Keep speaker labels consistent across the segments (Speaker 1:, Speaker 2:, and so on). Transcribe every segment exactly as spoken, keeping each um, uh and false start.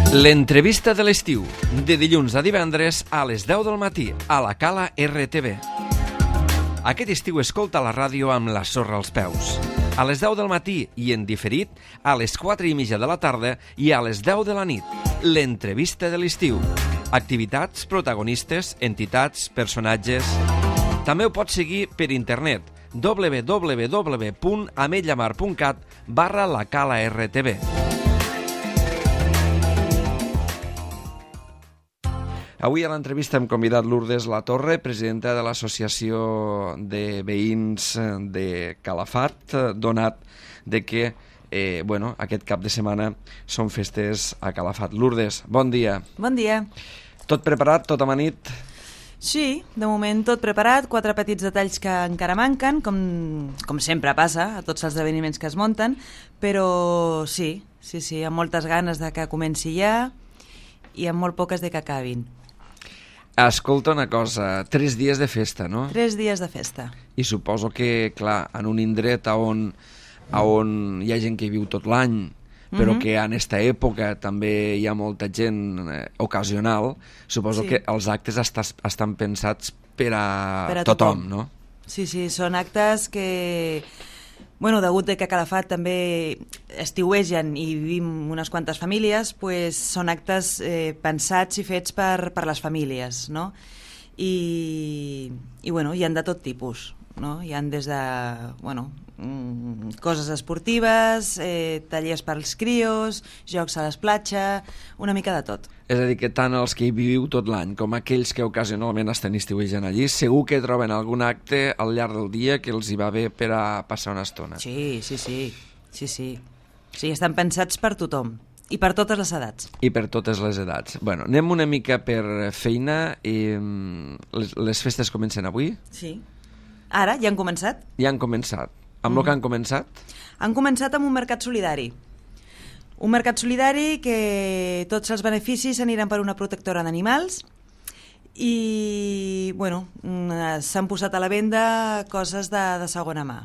Speaker 1: L'entrevista de l'estiu, de dilluns a divendres a les deu del matí, a la Cala R T V. Aquest estiu escolta la ràdio amb la sorra als peus. A les deu del matí i en diferit, a les quatre i mitja de la tarda i a les deu de la nit. L'entrevista de l'estiu. Activitats, protagonistes, entitats, personatges... També ho pots seguir per internet, w w w punt ametlla mar punt cat barra la Cala R T V. Avui a l'entrevista hem convidat Lourdes Latorre, presidenta de l'Associació de Veïns de Calafat, donat de que eh, bueno, aquest cap de setmana són festes a Calafat. Lourdes, bon dia.
Speaker 2: Bon dia.
Speaker 1: Tot preparat, tot amanit?
Speaker 2: Sí, de moment tot preparat, quatre petits detalls que encara manquen, com, com sempre passa a tots els esdeveniments que es munten, però sí, sí, sí, amb moltes ganes de que comenci ja i amb molt poques de que acabin.
Speaker 1: Escolta una cosa, tres dies de festa, no?
Speaker 2: Tres dies de festa.
Speaker 1: I suposo que, clar, en un indret on, on hi ha gent que viu tot l'any, però mm-hmm. que en aquesta època també hi ha molta gent eh, ocasional, suposo sí. que els actes est estan pensats per a, per a tothom, tothom, no?
Speaker 2: Sí, sí, són actes que... Bueno, degut que a Calafat també estiuegen i vivim unes quantes famílies, pues són actes eh, pensats i fets per, per les famílies, no? I, i bueno, hi han de tot tipus, no? Hi han des de, bueno, mm, coses esportives, eh, tallers pels crios, jocs a les platges, una mica de tot.
Speaker 1: És a dir, que tant els que hi viviu tot l'any com aquells que ocasionalment estan estiuegen allí, segur que troben algun acte al llarg del dia que els hi va bé per a passar una estona.
Speaker 2: Sí, sí, sí, sí, sí. Sí, estan pensats per tothom i per totes les edats.
Speaker 1: I per totes les edats. Bueno, anem una mica per feina. I, les, les festes comencen avui?
Speaker 2: Sí. Ara, ja han començat?
Speaker 1: Ja han començat. Amb mm. el que han començat?
Speaker 2: Han començat amb un mercat solidari. Un mercat solidari que tots els beneficis aniran per una protectora d'animals i, bueno, s'han posat a la venda coses de, de segona mà,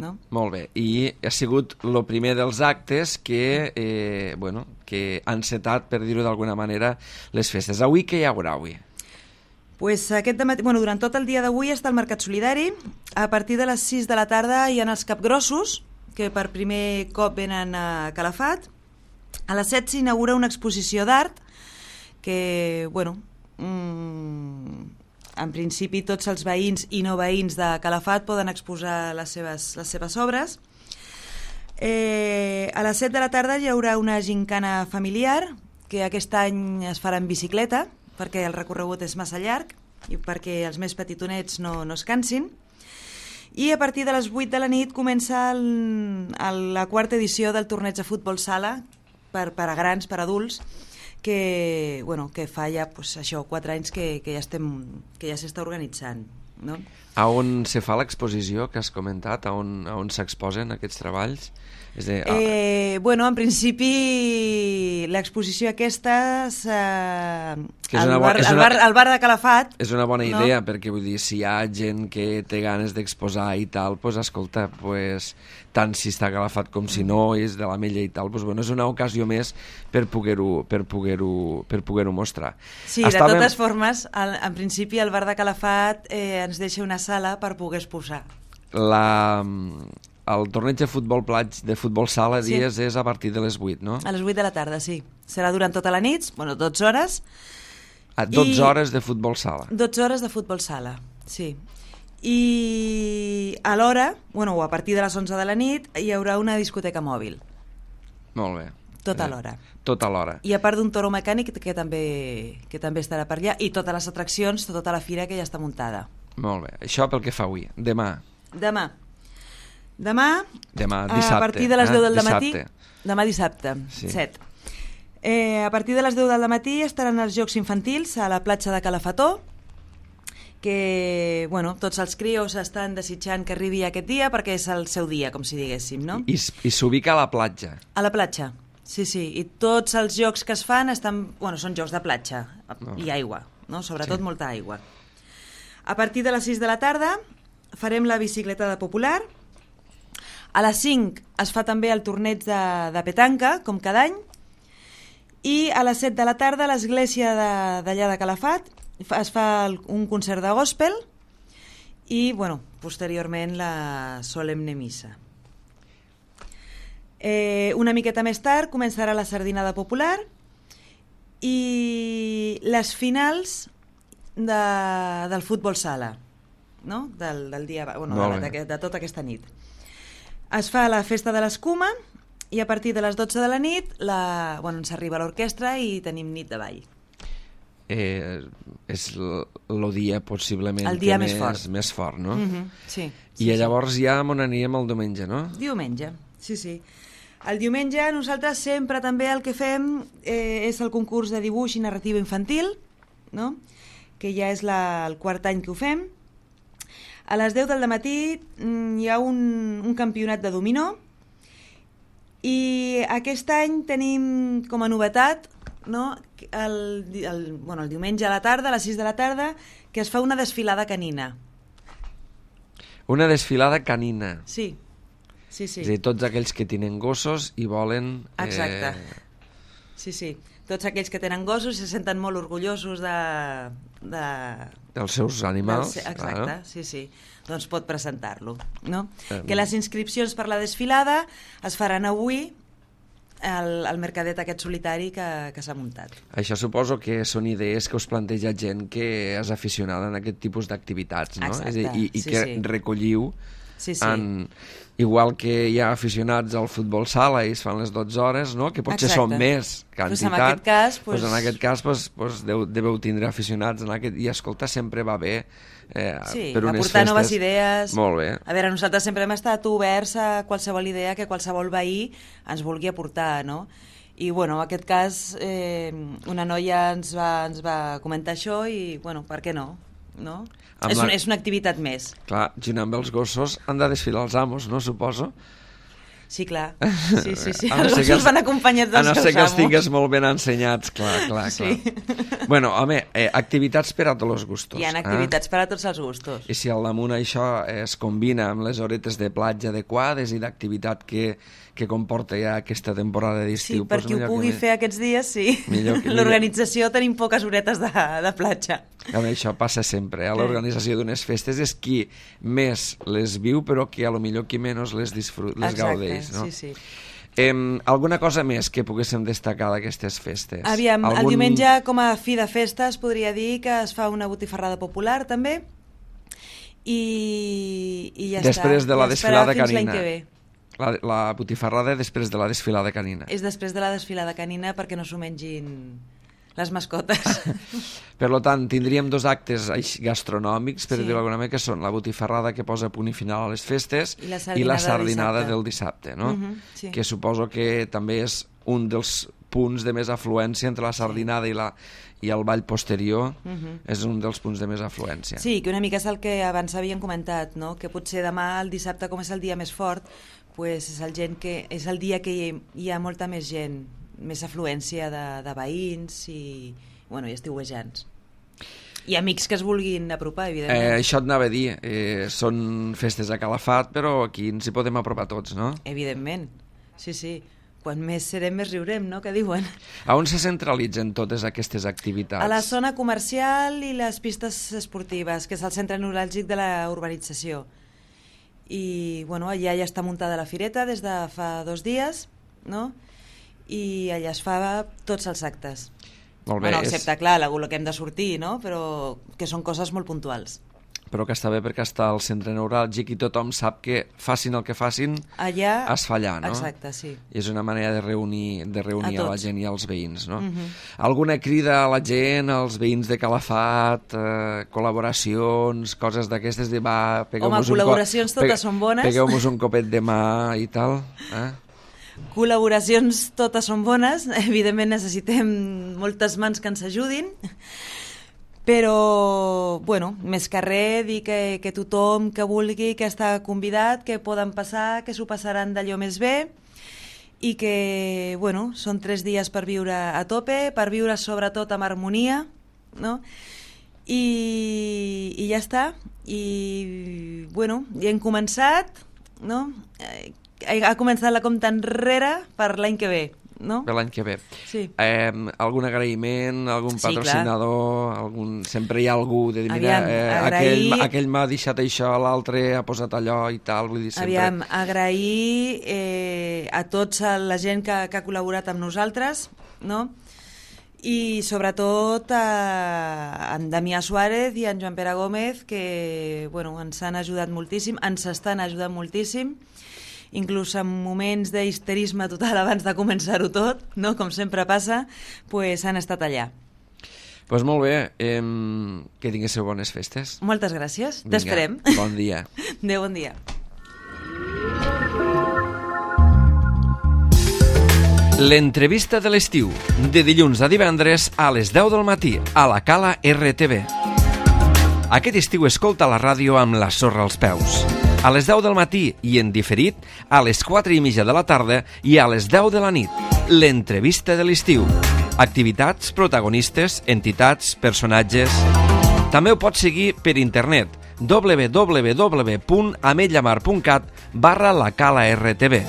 Speaker 2: no? Molt
Speaker 1: bé. I ha sigut el primer dels actes que, eh, bueno, que han encetat, per dir-ho d'alguna manera, les festes. Avui què hi haurà avui?
Speaker 2: Pues aquest dematí, bueno, durant tot el dia d'avui està el mercat solidari. A partir de les sis de la tarda hi ha els capgrossos, que per primer cop venen a Calafat. A les set s'inaugura una exposició d'art que, bueno, mmm, en principi tots els veïns i no veïns de Calafat poden exposar les seves, les seves obres. Eh, a les set de la tarda hi haurà una gincana familiar que aquest any es farà en bicicleta perquè el recorregut és massa llarg i perquè els més petitonets no, no es cansin. I a partir de les vuit de la nit comença el, el, la quarta edició del torneig de futbol sala per, per a grans, per a adults, que, bueno, que fa ja pues, això, quatre anys que, que ja estem, que ja s'està organitzant, no?
Speaker 1: A on se fa l'exposició que has comentat? A on, a on s'exposen aquests treballs? És de, ah.
Speaker 2: eh, bueno, en principi l'exposició aquesta és, eh, al,
Speaker 1: una,
Speaker 2: bar,
Speaker 1: una,
Speaker 2: al, bar, al bar de Calafat.
Speaker 1: És una bona idea,
Speaker 2: no?
Speaker 1: Perquè vull dir, si hi ha gent que té ganes d'exposar i tal, pues, escolta, pues, tant si està a Calafat com si no, és de l'Ametlla i tal, pues, bueno, és una ocasió més per poder-ho per poder-ho per poder-ho mostrar.
Speaker 2: Sí, Estàvem... de totes formes, al, en principi el bar de Calafat eh, ens deixa una sala per poder exposar.
Speaker 1: La... El torneig de futbol plats, de futbol sala, sí. dies, és a partir de les vuit, no?
Speaker 2: A les vuit de la tarda, sí. Serà durant tota la nit, bueno, dotze hores.
Speaker 1: A dotze hores de futbol sala.
Speaker 2: dotze hores de futbol sala, sí. I a l'hora, bueno, o a partir de les onze de la nit, hi haurà una discoteca mòbil.
Speaker 1: Molt bé.
Speaker 2: Tota l'hora.
Speaker 1: Tota l'hora.
Speaker 2: I a part d'un toro mecànic que també, que també estarà per allà, i totes les atraccions, tota la fira que ja està muntada.
Speaker 1: Molt bé. Això pel que fa avui. Demà.
Speaker 2: Demà. Demà,
Speaker 1: Demà dissabte,
Speaker 2: a partir de les deu del
Speaker 1: eh?
Speaker 2: matí,
Speaker 1: dissabte.
Speaker 2: demà dissabte,
Speaker 1: sí.
Speaker 2: set. Eh, a partir de les deu del matí estaran els jocs infantils a la platja de Calafató, que, bueno, tots els crios estan desitjant que arribi aquest dia perquè és el seu dia, com si diguéssim, no?
Speaker 1: I, i s'ubica a la platja.
Speaker 2: A la platja, sí, sí, i tots els jocs que es fan estan, bueno, són jocs de platja no. i aigua, no? Sobretot sí. molta aigua. A partir de les sis de la tarda farem la bicicletada popular. A les cinc es fa també el torneig de, de petanca, com cada any, I a les set de la tarda a l'església d'allà de, de Calafat es fa el, un concert de gospel i, bueno, posteriorment la solemne missa. Eh, una miqueta més tard començarà la sardinada popular i les finals de, del futbol sala, no? del, del dia, bueno, de, de, de tota aquesta nit. Es fa la festa de l'escuma i a partir de les dotze de la nit la, bueno, ens arriba l'orquestra i tenim nit de ball.
Speaker 1: Eh, és el dia possiblement
Speaker 2: el dia
Speaker 1: que
Speaker 2: més,
Speaker 1: més
Speaker 2: fort.
Speaker 1: més fort, no?
Speaker 2: Mm-hmm, sí,
Speaker 1: I
Speaker 2: sí,
Speaker 1: llavors
Speaker 2: sí.
Speaker 1: ja on anirem el diumenge, no?
Speaker 2: Diumenge, sí, sí. El diumenge nosaltres sempre també el que fem eh, és el concurs de dibuix i narrativa infantil, no? Que ja és la, el quart any que ho fem. A les deu del matí hi ha un, un campionat de dominó i aquest any tenim com a novetat, no? el, el, bueno, el diumenge a la tarda, a les sis de la tarda, que es fa una desfilada canina.
Speaker 1: Una desfilada canina.
Speaker 2: Sí, sí, sí.
Speaker 1: És a dir, tots aquells que tenen gossos i volen...
Speaker 2: Exacte.
Speaker 1: Eh...
Speaker 2: Sí, sí. Tots aquells que tenen gossos se senten molt orgullosos de... de...
Speaker 1: dels seus animals.
Speaker 2: Del... Exacte,
Speaker 1: claro.
Speaker 2: sí, sí. Doncs pot presentar-lo, no?
Speaker 1: Eh...
Speaker 2: Que les inscripcions per la desfilada es faran avui al, al mercadet aquest solitari que, que s'ha muntat.
Speaker 1: Això suposo que són idees que us planteja gent que és aficionada en aquest tipus d'activitats, no?
Speaker 2: Exacte,
Speaker 1: és a dir, i, i
Speaker 2: sí,
Speaker 1: que
Speaker 2: sí.
Speaker 1: recolliu
Speaker 2: Sí, sí.
Speaker 1: en... Igual que hi ha aficionats al futbol sala i es fan les dotze hores, no? Que potser
Speaker 2: Exacte.
Speaker 1: són més que
Speaker 2: Pues
Speaker 1: entitat.
Speaker 2: en aquest cas, pues...
Speaker 1: Pues en aquest cas pues, pues deu, deveu tindre aficionats en aquest... i escolta, sempre va bé eh,
Speaker 2: sí,
Speaker 1: per unes
Speaker 2: aportar
Speaker 1: festes.
Speaker 2: noves idees.
Speaker 1: Molt bé.
Speaker 2: A veure, nosaltres sempre hem estat oberts a qualsevol idea que qualsevol veí ens vulgui aportar, no? I, bueno, en aquest cas, eh, una noia ens va, ens va comentar això i, bueno, per què no? no? És,
Speaker 1: la...
Speaker 2: un, és una activitat més.
Speaker 1: Clar, junt amb els gossos han de desfilar els amos, no, suposo?
Speaker 2: Sí, clar. Sí, sí, sí.
Speaker 1: No
Speaker 2: Els gossos els... van acompanyats dels
Speaker 1: seus amos. A no ser que els tingues molt ben ensenyats, clar, clar, clar.
Speaker 2: Sí.
Speaker 1: Bueno, home, eh, activitats per a tots els gustos.
Speaker 2: Hi ha activitats eh? per a tots els gustos.
Speaker 1: I si al damunt això es combina amb les horetes de platja adequades i d'activitat que, que comporta ja aquesta temporada d'estiu...
Speaker 2: Sí, per qui ho pugui fer aquests dies, sí. L'organització tenim poques horetes de, de platja.
Speaker 1: Home, això passa sempre, eh? L'organització d'unes festes és qui més les viu, però que a lo millor qui menys les, disfrut, les
Speaker 2: Exacte,
Speaker 1: gaudeix, no?
Speaker 2: sí, sí.
Speaker 1: Eh, alguna cosa més que poguéssim destacar d'aquestes festes?
Speaker 2: Aviam,
Speaker 1: Algun...
Speaker 2: el diumenge com a fi de festa es podria dir que es fa una botifarrada popular també i, i ja
Speaker 1: després
Speaker 2: està.
Speaker 1: De la
Speaker 2: I
Speaker 1: desfilada
Speaker 2: fins
Speaker 1: canina.
Speaker 2: l'any que ve.
Speaker 1: La, la botifarrada després de la desfilada canina.
Speaker 2: És després de la desfilada canina perquè no s'ho mengin les mascotes.
Speaker 1: Per tant, tindríem dos actes gastronòmics, per
Speaker 2: sí.
Speaker 1: dir-ho d'alguna manera, que són la botifarrada que posa punt i final a les festes
Speaker 2: i la
Speaker 1: i la
Speaker 2: sardinada
Speaker 1: del dissabte, no?
Speaker 2: Uh-huh, sí.
Speaker 1: Que suposo que també és un dels punts de més afluència entre la sardinada sí. i, la, i el ball posterior, uh-huh. és un dels punts de més afluència.
Speaker 2: Sí, que una mica és el que abans havíem comentat, no? Que potser demà, el dissabte, com és el dia més fort, pues és, el gent que, és el dia que hi, hi ha molta més gent, més afluència de, de veïns i, bueno, i estiuejants. I amics que es vulguin apropar, evidentment.
Speaker 1: Eh, això et anava a dir, eh, són festes a Calafat, però aquí ens hi podem apropar tots, no?
Speaker 2: Evidentment, sí, sí. Quan més serem, més riurem, no?, que diuen.
Speaker 1: A on se centralitzen totes aquestes activitats?
Speaker 2: A la zona comercial i les pistes esportives, que és el centre neuràlgic de la urbanització. I, bueno, allà ja està muntada la fireta des de fa dos dies, no?, i allà es fa tots els actes.
Speaker 1: Molt bé.
Speaker 2: Bueno, excepte, és... clar, el que hem de sortir, no?, però que són coses molt puntuals.
Speaker 1: Però que està bé perquè està al centre neuràlgic i tothom sap que facin el que facin,
Speaker 2: allà
Speaker 1: es fa allà, no?
Speaker 2: Exacte, sí.
Speaker 1: I és una manera de reunir, de reunir a, a la gent i als veïns, no?
Speaker 2: Uh-huh.
Speaker 1: Alguna crida a la gent, als veïns de Calafat, eh, col·laboracions, coses d'aquestes de va...
Speaker 2: Home, col·laboracions
Speaker 1: co...
Speaker 2: totes són bones.
Speaker 1: Pegueu-nos un copet de mà i tal, eh?
Speaker 2: Col·laboracions totes són bones, evidentment necessitem moltes mans que ens ajudin, però, bueno, més que res, dir que, que tothom que vulgui, que està convidat, que poden passar, que s'ho passaran d'allò més bé i que, bueno, són tres dies per viure a tope, per viure sobretot amb harmonia, no? I, i ja està. I, bueno, ja hem començat, no? Ha començat la compta enrere per l'any que ve. no?
Speaker 1: Per l'any que ve.
Speaker 2: Sí.
Speaker 1: Eh, algun agraïment, algun
Speaker 2: Sí,
Speaker 1: patrocinador, algun... sempre hi ha algú de dir, mira,
Speaker 2: Aviam,
Speaker 1: eh,
Speaker 2: agrair-
Speaker 1: aquell, aquell m'ha deixat això, l'altre ha posat allò i tal, vull dir, sempre...
Speaker 2: Aviam, agrair eh, a tots a la gent que, que ha col·laborat amb nosaltres, no? I sobretot a en Damià Suárez i en Joan Pere Gómez, que bueno, ens han ajudat moltíssim, ens estan ajudant moltíssim, inclús en moments d'histerisme total abans de començar-ho tot, no? Com sempre passa, pues han estat allà.
Speaker 1: Doncs pues molt bé, eh, que tinguéssiu bones festes.
Speaker 2: Moltes gràcies,
Speaker 1: Vinga,
Speaker 2: t'esperem.
Speaker 1: bon dia.
Speaker 2: Adéu, bon dia.
Speaker 1: L'entrevista de l'estiu, de dilluns a divendres a les deu del matí, a la Cala R T V. Aquest estiu escolta la ràdio amb la sorra als peus. A les deu del matí i en diferit, a les quatre i mitja de la tarda i a les deu de la nit. L'entrevista de l'estiu. Activitats, protagonistes, entitats, personatges... També ho pots seguir per internet w w w punt ametlllamar punt cat barra la Cala R T V.